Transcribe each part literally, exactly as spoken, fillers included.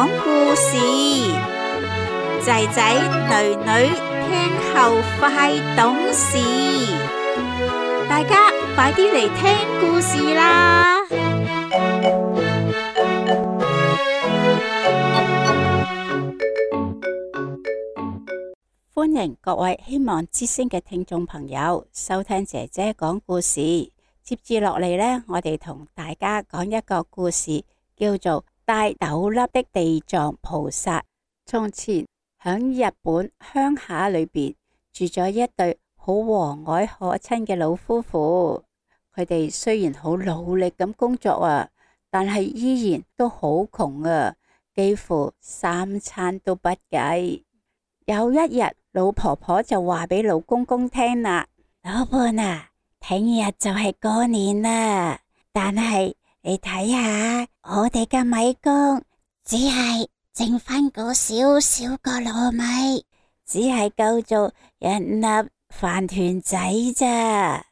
講故事，仔仔女女聽後快懂事，大家快啲嚟聽故事啦！歡迎各位希望之聲嘅聽眾朋友收聽姐姐講故事。接住落嚟呢，我哋同大家講一個故事，叫做戴斗笠的地藏菩薩。從前響日本鄉下裏邊住咗一對好和藹可親嘅老夫婦。佢哋雖然好努力咁工作啊，但係依然都好窮啊，幾乎三餐都不繼。有一日，老婆婆就話俾老公公聽啦：老伴啊，聽日就係過年啦，但係你睇下我哋嘅米缸只係剩翻嗰少少個糯米，只係夠做一粒飯團仔咋，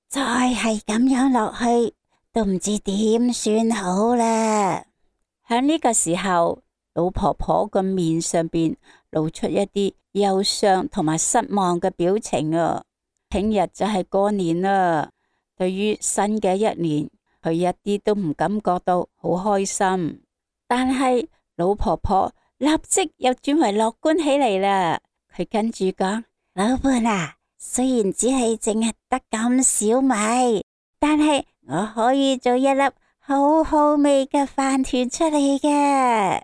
再係咁樣落去都唔知點算好啦。喺呢個時候，老婆婆個面上邊露出一啲憂傷同埋失望嘅表情啊！聽日就係過年啦，對於新嘅一年，佢一啲都唔感覺到好開心。但係老婆婆立即又轉為樂觀起嚟啦。佢跟住講：老伴啊，雖然只係淨係得咁少米，但係我可以做一粒好好味嘅飯團出嚟嘅。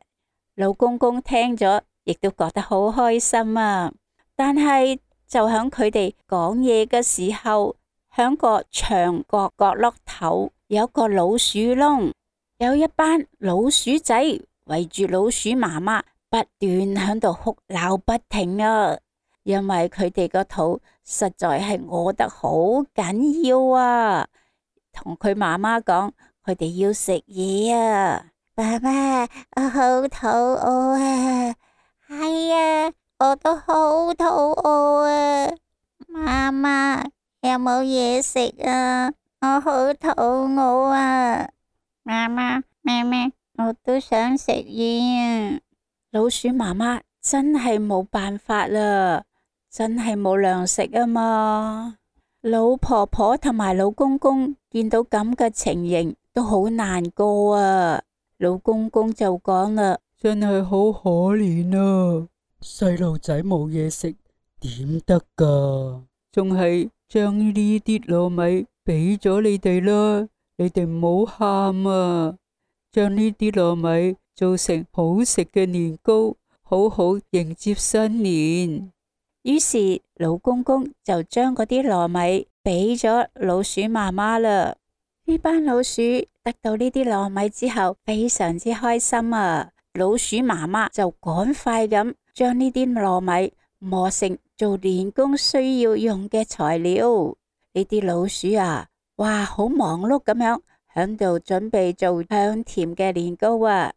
老公公聽咗，亦都覺得好開心啊！但係就響佢哋講嘢嘅時候，響個牆角角落頭有個老鼠窿，有一班老鼠仔圍住老鼠媽媽，不斷響度哭鬧不停啊！因為佢哋個肚實在係餓得好緊要啊！同佢媽媽講，佢哋要食嘢啊！爸爸，我好肚餓啊！係啊，我都好肚餓啊！媽媽，有冇嘢食啊？我好肚餓啊！媽媽，咩咩，我都想食嘢啊！老鼠媽媽真係冇辦法啦，真係冇糧食啊嘛！老婆婆同埋老公公見到咁嘅情形，都好難過啊！老公公就講啦：真係好可憐啊！細路仔冇嘢食點得噶？仲係將呢啲糯米俾咗你哋啦，你哋唔好喊啊！將呢啲糯米做成好食嘅年糕，好好迎接新年。於是老公公就將嗰啲糯米俾咗老鼠媽媽啦。呢班老鼠得到呢啲糯米之後，非常之開心啊！老鼠媽媽就趕快咁將呢啲糯米磨成做年糕需要用嘅材料。呢啲老鼠啊，哇，好忙碌咁樣響度準備做香甜嘅年糕啊！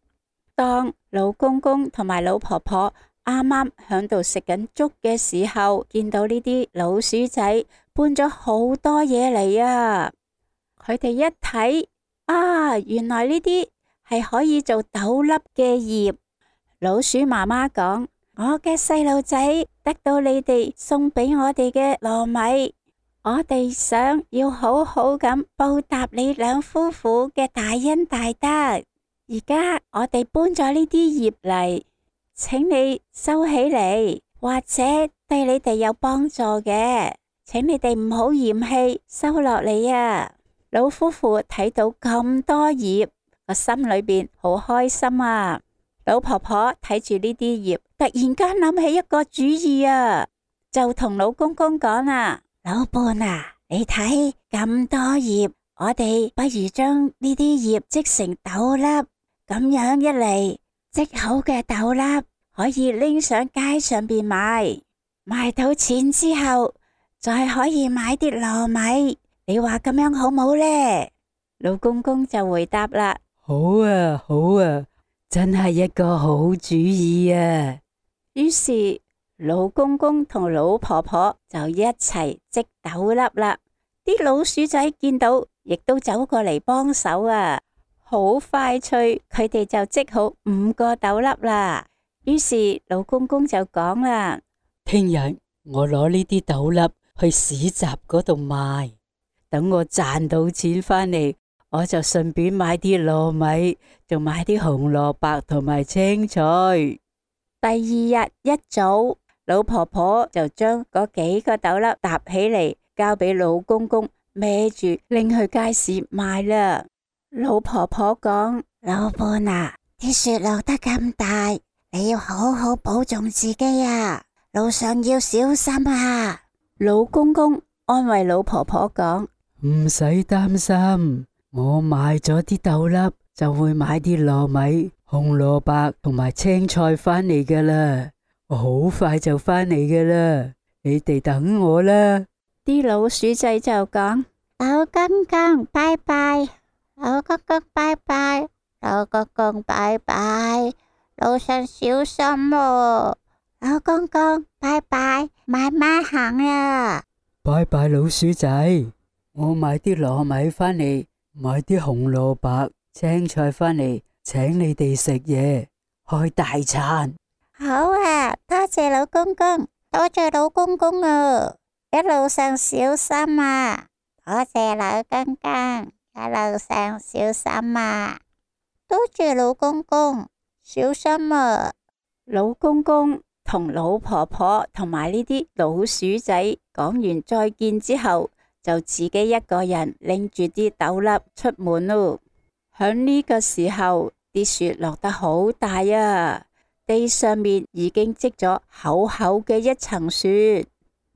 當老公公同埋老婆婆啱啱響度食緊粥嘅時候，見到呢啲老鼠仔搬咗好多嘢嚟啊！佢哋一睇，啊，原來呢啲係可以做斗笠嘅葉。老鼠媽媽講：我嘅細路仔得到你哋送俾我哋嘅糯米，我哋想要好好咁報答你兩夫婦嘅大恩大德。而家我哋搬咗呢啲葉嚟，請你收起嚟，或者對你哋有幫助嘅，請你哋唔好嫌棄，收落嚟啊！老夫婦睇到咁多葉，個心裏邊好開心啊！老婆婆睇住呢啲葉，突然間諗起一個主意啊，就同老公公講啦：老伴啊，你睇咁多葉，我哋不如將呢啲葉織成斗笠，咁樣一嚟，織好嘅斗笠可以拎上街上邊賣，賣到錢之後，再可以買啲糯米。你話咁樣好冇呢？老公公就回答啦：好啊，好啊，真係一個好主意啊！於是老公公同老婆婆就一齊織斗笠啦。啲老鼠仔見到，亦都走過嚟幫手啊！好快脆，佢哋就織好五個斗笠啦。於是老公公就講啦：聽日我攞呢啲斗笠去市集嗰度賣，等我賺到錢返嚟，我就順便買啲糯米，仲買啲紅蘿蔔同埋青菜。第二日一早，老婆婆就將嗰幾個斗笠搭起嚟，交俾老公公孭住拎去街市賣啦。老婆婆講：老伴啊，啲雪落得咁大，你要好好保重自己啊，路上要小心啊。老公公安慰老婆婆講：唔使擔心，我買咗啲斗笠就會買啲糯米、紅蘿蔔同埋青菜返嚟噶啦，我好快就返嚟噶啦，你哋等我啦。啲老鼠仔就講：老公公拜拜，老公公拜拜，老公公拜拜，路上小心喎。老公公拜拜，慢慢行啊。拜拜老鼠仔，我買啲糯米返嚟，買啲紅蘿蔔、青菜返嚟，請你哋食嘢，開大餐。好啊，多謝老公公，多謝老公公啊，一路上小心啊。多謝老公公，一路上小心啊。多謝老公公，小心啊。老公公同老婆婆同埋呢啲老鼠仔講完再見之後，就自己一個人拎住啲斗笠出門咯。響呢個時候，啲雪落得好大啊，地上面已經積咗厚厚嘅一層雪。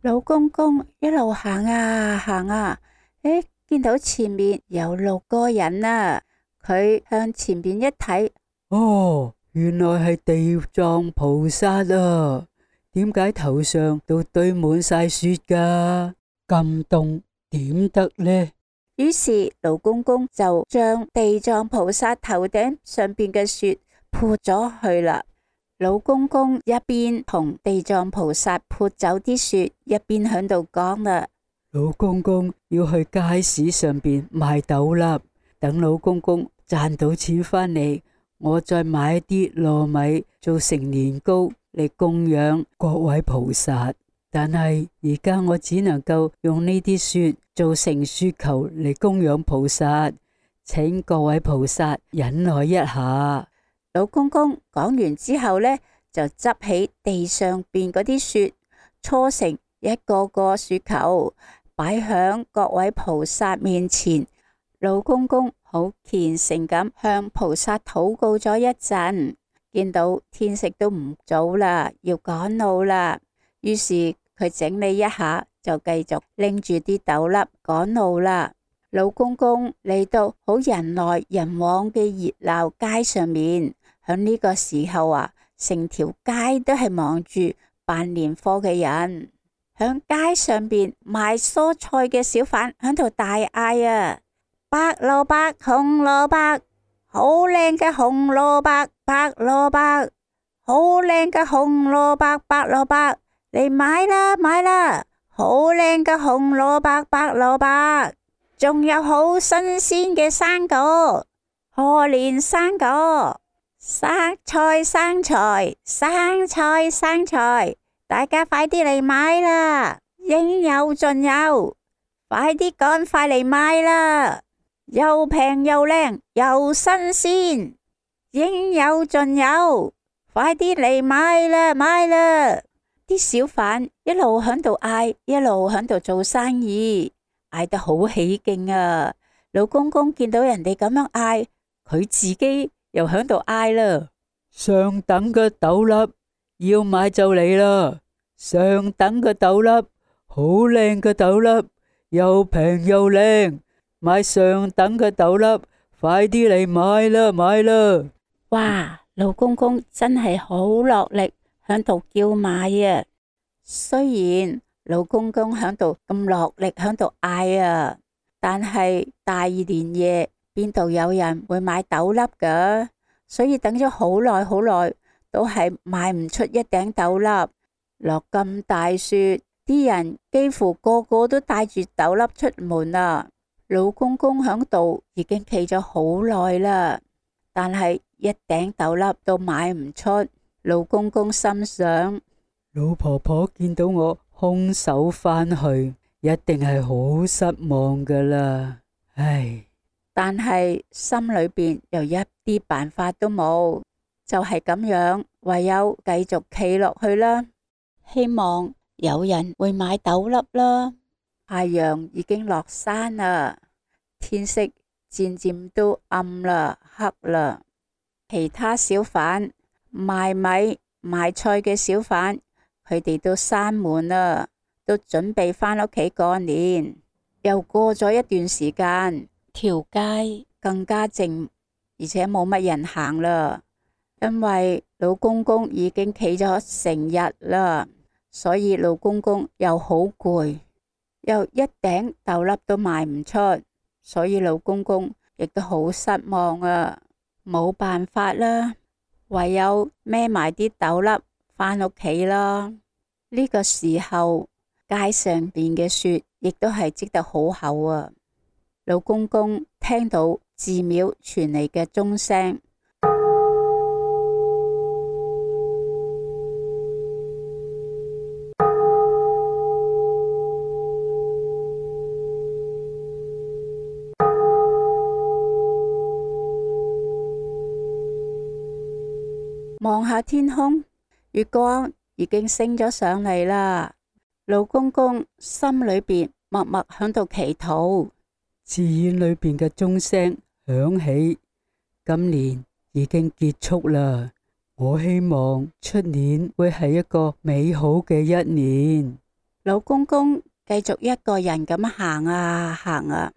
老公公一路行啊行啊，誒，見到前面有六個人啊，佢向前面一睇，哦，原來係地藏菩薩啊！點解頭上都堆滿晒雪噶？咁凍點得呢？於是老公公就將地藏菩薩頭頂上邊嘅雪潑咗去啦。老公公一邊同地藏菩薩潑走啲雪，一邊響度講啦：老公公要去街市上邊賣斗笠，等老公公賺到錢返嚟，我再買啲糯米做成年糕嚟供養各位菩薩。但係而家我只能夠用呢啲雪做成雪球嚟供養菩薩，請各位菩薩忍耐一下。老公公講完之後呢，就執起地上邊嗰啲雪，搓成一個個雪球，擺響各位菩薩面前。老公公好虔誠咁向菩薩禱告咗一陣，見到天色都唔早啦，要趕路啦，於是佢整理一下，就繼續拎住啲斗笠趕路啦。老公公嚟到好人來人往嘅熱鬧街上面，響呢個時候啊，成條街都係忙住辦年貨嘅人。響街上邊賣蔬菜嘅小販響度大嗌啊：白蘿蔔、紅蘿蔔，好靚嘅紅蘿蔔、白蘿蔔，好靚嘅紅蘿蔔、白蘿蔔，嚟買啦買啦！好靚嘅紅蘿蔔、白蘿蔔，仲有好新鮮嘅生果，賀年生果，生菜生菜，生菜生菜，大家快啲嚟買啦！應有盡有，快啲趕快嚟買啦！又平又靚又新鮮，應有盡有，快啲嚟買啦買啦！啲小販一路響度嗌，一路響度做生意，嗌得好起勁啊！老公公見到人哋咁樣嗌，佢自己又響度嗌啦：上等嘅斗笠要買就嚟啦！上等嘅斗笠，好靚嘅斗笠，又平又靚，買上等嘅斗笠，快啲嚟買啦買啦！哇！老公公真係好落力響度叫賣啊！雖然老公公響度咁落力響度嗌啊，但係大年夜邊度有人會買斗笠噶？所以等咗好耐好耐，都係買唔出一頂斗笠。落咁大雪，啲人幾乎個個都帶住斗笠出門啊！老公公響度已經企咗好耐啦，但係一頂豆粒都賣唔出。老公公心想，老婆婆見到我空手返去，一定係好失望噶啦。唉，但係心裏邊又一啲辦法都冇，就係咁樣，唯有繼續企落去啦，希望有人會買豆粒啦。太陽已經落山啦，天色漸漸都暗啦，黑啦。其他小販賣米賣菜嘅小販，佢哋都閂門啦，都準備返屋企過年。又過咗一段時間，條街更加靜，而且冇乜人行啦，因為老公公已經企咗成日啦，所以老公公又好攰，又一頂豆粒都賣唔出，所以老公公亦都好失望啊，冇辦法啦，唯有孭埋啲豆粒返屋企啦。呢個時候，街上邊嘅雪亦都係積得好厚啊。老公公聽到寺廟傳嚟嘅鐘聲，望下天空，月光已經升咗上嚟啦。老公公心裏邊默默響度祈禱，寺院裏邊嘅鐘聲響起，今年已經結束啦。我希望出年會係一個美好嘅一年。老公公繼續一個人咁行啊行啊，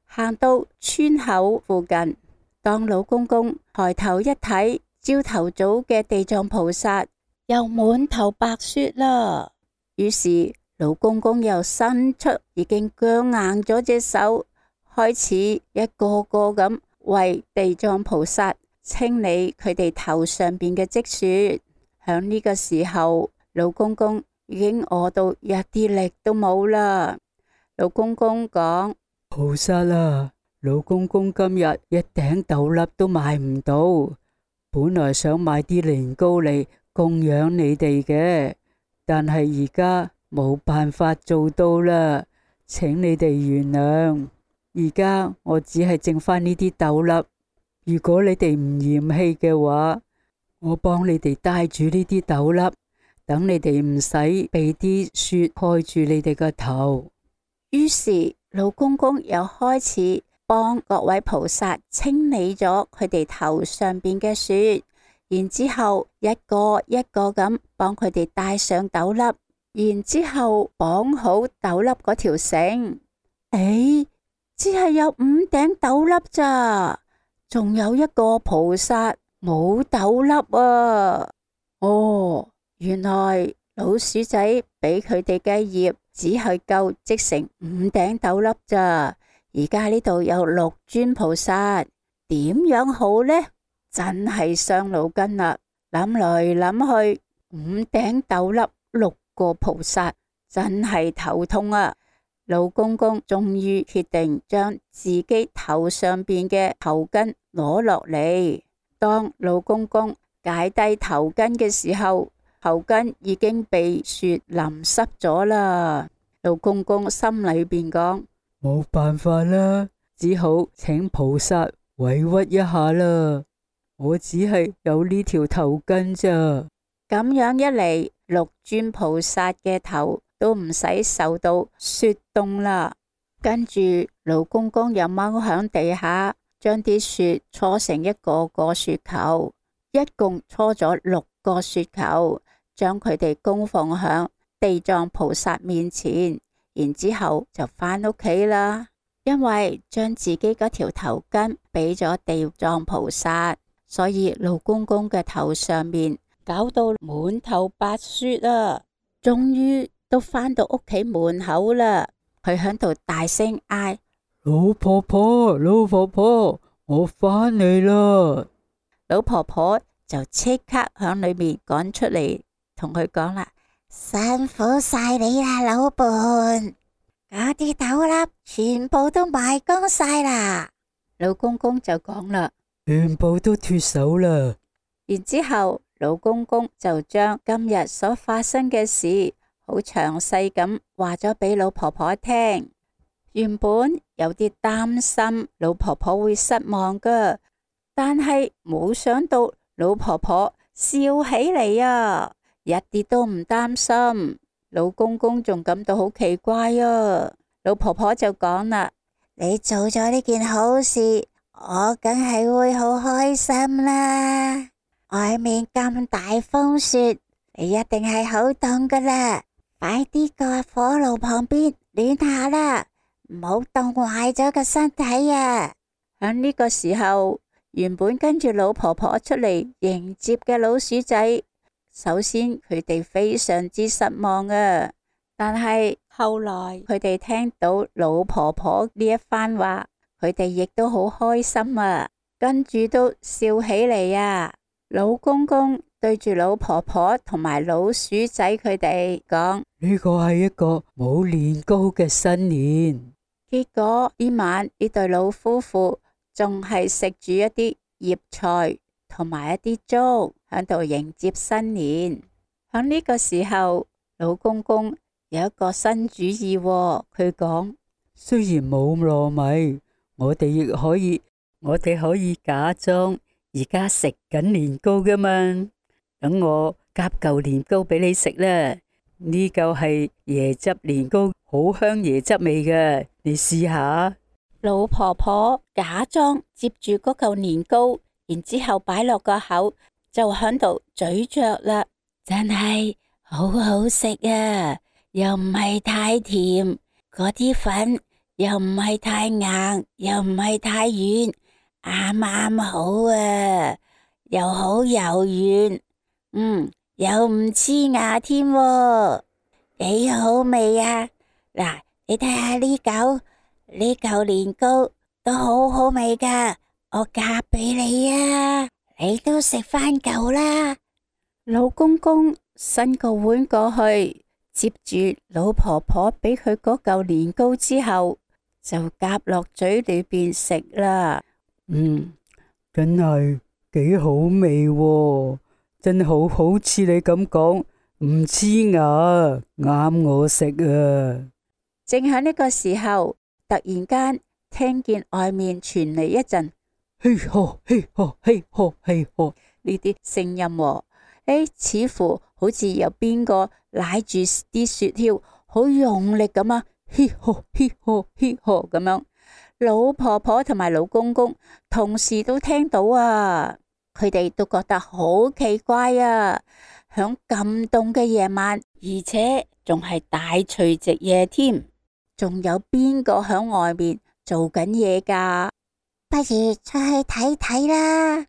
行到村口附近，當老公公抬頭一睇，朝頭早嘅地藏菩薩又滿頭白雪啦。於是老公公又伸出已經僵硬咗隻手，開始一個個咁為地藏菩薩清理佢哋頭上邊嘅積雪。響呢個時候，老公公已經餓到一啲力都冇啦。老公公講：菩薩啊，老公公今日一頂豆粒都買唔到，本來想買啲年糕嚟供養你哋嘅，但係而家冇辦法做到啦，請你哋原諒。而家我只係剩翻呢啲豆粒，如果你哋唔嫌棄嘅話，我幫你哋帶住呢啲豆粒，等你哋唔使被啲雪蓋住你哋個頭。於是老公公又開始幫各位菩薩清理咗佢哋頭上邊嘅雪，然之後一個一個咁幫佢哋戴上豆粒，然之後綁好豆粒嗰條繩。誒，只係有五頂豆粒咋，仲有一個菩薩冇豆粒啊！哦，原來老鼠仔俾佢哋嘅業只係夠織成五頂豆粒咋。而家呢度有六尊菩薩，點樣好呢？真係傷腦筋啦！諗來諗去，五頂豆粒六個菩薩，真係頭痛啊！老公公終於決定將自己頭上邊嘅頭巾攞落嚟。當老公公解低頭巾嘅時候，頭巾已經被雪淋濕咗啦。老公公心裏邊講：冇辦法啦，只好請菩薩委屈一下啦。我只係有呢條頭巾咋。咁樣一嚟，六尊菩薩嘅頭都唔使受到雪凍啦。跟住老公公又踎響地下，將啲雪搓成一個個雪球，一共搓咗六個雪球，將佢哋供奉響地藏菩薩面前，然之後就返屋企啦。因為將自己嗰條頭巾俾咗地藏菩薩，所以老公公嘅頭上面搞到滿頭白雪啊！終於都返到屋企門口啦，佢響度大聲嗌：老婆婆，老婆婆，我返嚟啦！老婆婆就即刻響裏面趕出嚟，同佢講啦：辛苦晒你啦，老伴！嗰啲豆粒全部都賣光晒啦。老公公就講啦，全部都脫手啦。然之後老公公就將今日所發生嘅事好詳細咁話咗俾老婆婆聽。原本有啲擔心老婆婆會失望噶，但係冇想到老婆婆笑起嚟啊，一啲都唔擔心。老公公仲感到好奇怪啊。老婆婆就講啦，你做咗呢件好事，我梗係會好開心啦。外面咁大風雪，你一定係好凍噶啦，快啲過火爐旁邊暖下啦，唔好凍壞咗個身體啊。喺呢個時候，原本跟住老婆婆出嚟迎接嘅老鼠仔，首先佢哋非常之失望啊，但係後來佢哋聽到老婆婆呢一番話，佢哋亦都好開心啊，跟住都笑起嚟啊。老公公對住老婆婆同埋老鼠仔佢哋講，呢個係一個冇年糕嘅新年。結果呢晚呢對老夫婦仲係食住一啲葉菜同埋一啲粥喺度迎接新年。喺呢個時候，老公公有一個新主意喎，佢講，雖然冇糯米，我哋亦可以，我哋可以假裝而家食緊年糕噶嘛。等我夾嚿年糕俾你食啦。呢嚿係椰汁年糕，好香椰汁味嘅，你試下。老婆婆假裝接住嗰嚿年糕，然之後擺落個口，就喺度咀嚼啦。真係好好食啊！又唔係太甜，嗰啲粉又唔係太硬，又唔係太軟，啱啱好啊，又好柔軟，嗯，又唔黐牙添，幾好味啊！嗱，你睇下呢嚿呢嚿年糕都好好味噶，我夾俾你啊，你都食翻嚿啦。老公公伸個碗過去，接住老婆婆俾佢嗰嚿年糕之後，就夾落嘴裏邊食啦。嗯，真係幾好味喎，真好好似你咁講，唔黐牙，啱我食啊！正喺呢個時候，突然間聽見外面傳嚟一陣嘿呵嘿呵嘿呵嘿呵呢啲聲音喎。誒，似乎好似有邊個舐住啲雪橇，好用力咁啊！嘿呵嘿呵嘿呵咁樣。老婆婆同埋老公公同時都聽到啊，佢哋都覺得好奇怪啊！響咁凍嘅夜晚，而且仲係大除夕夜添，仲有邊個響外面做緊嘢噶？不如出去睇睇啦！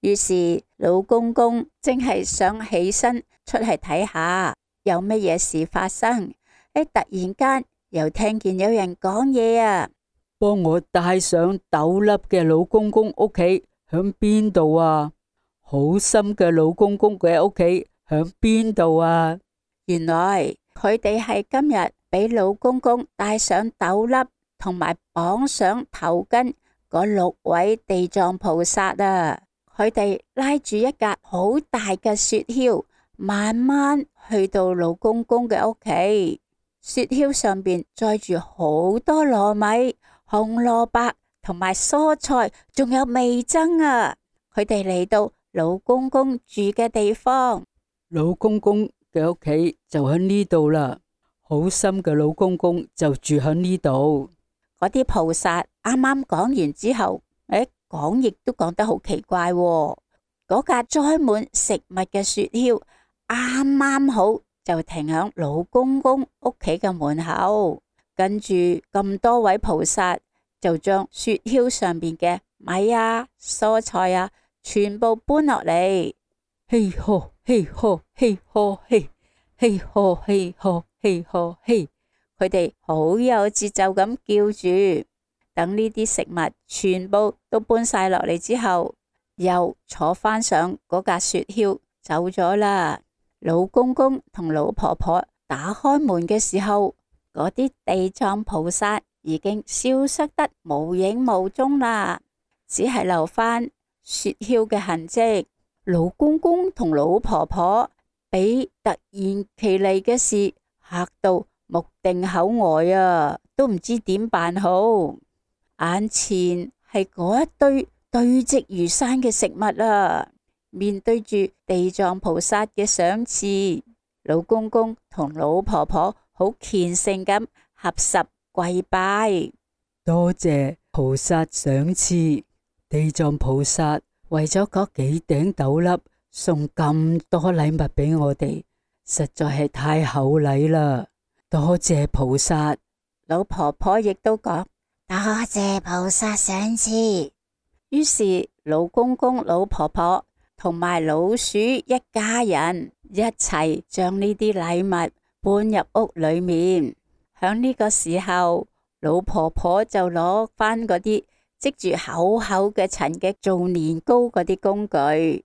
於是老公公正係想起身出去睇下有乜嘢事發生，誒，突然間又聽見有人講嘢啊！幫我帶上豆粒嘅老公公屋企響邊度啊？好心嘅老公公嘅屋企響邊度啊？原來佢哋係今日俾老公公帶上豆粒同埋綁上頭巾嗰六位地藏菩薩啊！佢哋拉住一架好大嘅雪橇，慢慢去到老公公嘅屋企。雪橇上邊載住好多糯米、紅蘿蔔同埋蔬菜，仲有味噌啊！佢哋嚟到老公公住嘅地方，老公公嘅屋企就喺呢度啦。好心嘅老公公就住喺呢度。嗰啲菩薩啱啱講完之後，誒，講亦都講得好奇怪喎。嗰架載滿食物嘅雪橇啱啱好就停響老公公屋企嘅門口，跟住咁多位菩薩就將雪橇上邊嘅米啊、蔬菜啊全部搬落嚟。嘿呵嘿呵嘿呵嘿嘿呵嘿呵嘿呵嘿，佢哋好有節奏咁叫住。等呢啲食物全部都搬晒落嚟之後，又坐翻上嗰架雪橇走咗啦。老公公同老婆婆打開門嘅時候，嗰啲地藏菩薩已經消失得無影無蹤啦，只係留返雪橇嘅痕跡。老公公同老婆婆俾突然其嚟嘅事嚇到目定口呆啊，都唔知點辦好。眼前係嗰一堆堆積如山嘅食物啊，面對住地藏菩薩嘅賞賜，老公公同老婆婆好虔誠咁合十跪拜，多謝菩薩賞賜。地藏菩薩為咗嗰幾頂斗笠送咁多禮物俾我哋，實在係太厚禮啦！多謝菩薩。老婆婆亦都講多謝菩薩賞賜。於是老公公、老婆婆同埋老鼠一家人一齊將呢啲禮物搬入屋裏面。響呢個時候，老婆婆就攞返嗰啲積住厚厚嘅塵嘅做年糕嗰啲工具，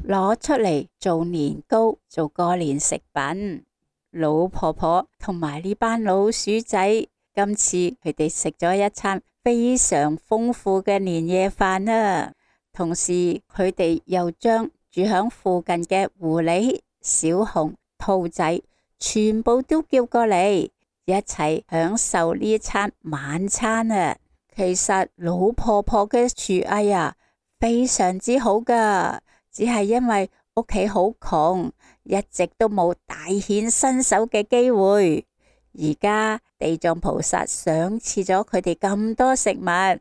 攞出嚟做年糕，做過年食品。老婆婆同埋呢班老鼠仔，今次佢哋食咗一餐非常豐富嘅年夜飯啦。同時，佢哋又將住響附近嘅狐狸、小熊、兔仔全部都叫過嚟，一齊享受呢餐晚餐啊！其實老婆婆嘅廚藝啊，非常之好噶，只係因為屋企好窮，一直都冇大顯身手嘅機會。而家地藏菩薩賞賜咗佢哋咁多食物，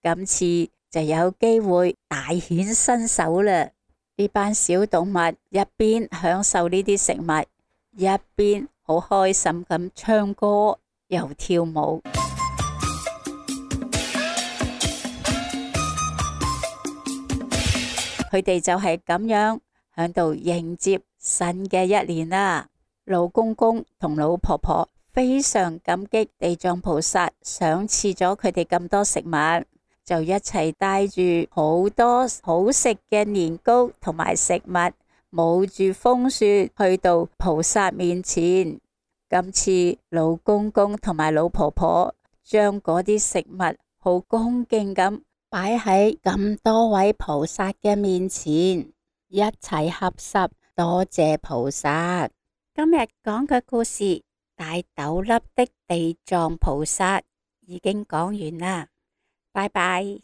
今次就有機會大顯身手啦。呢班小動物一邊享受呢啲食物，一邊好開心咁唱歌又跳舞。佢哋就係咁樣響度迎接新嘅一年啦。老公公同老婆婆非常感激地藏菩薩賞賜咗佢哋咁多食物，就一齊帶住好多好食嘅年糕同埋食物，冒住風雪去到菩薩面前。今次老公公同埋老婆婆將嗰啲食物好恭敬咁擺喺咁多位菩薩嘅面前，一齊合十多謝菩薩。今日講嘅故事大斗笠的地藏菩薩已經講完啦，拜拜。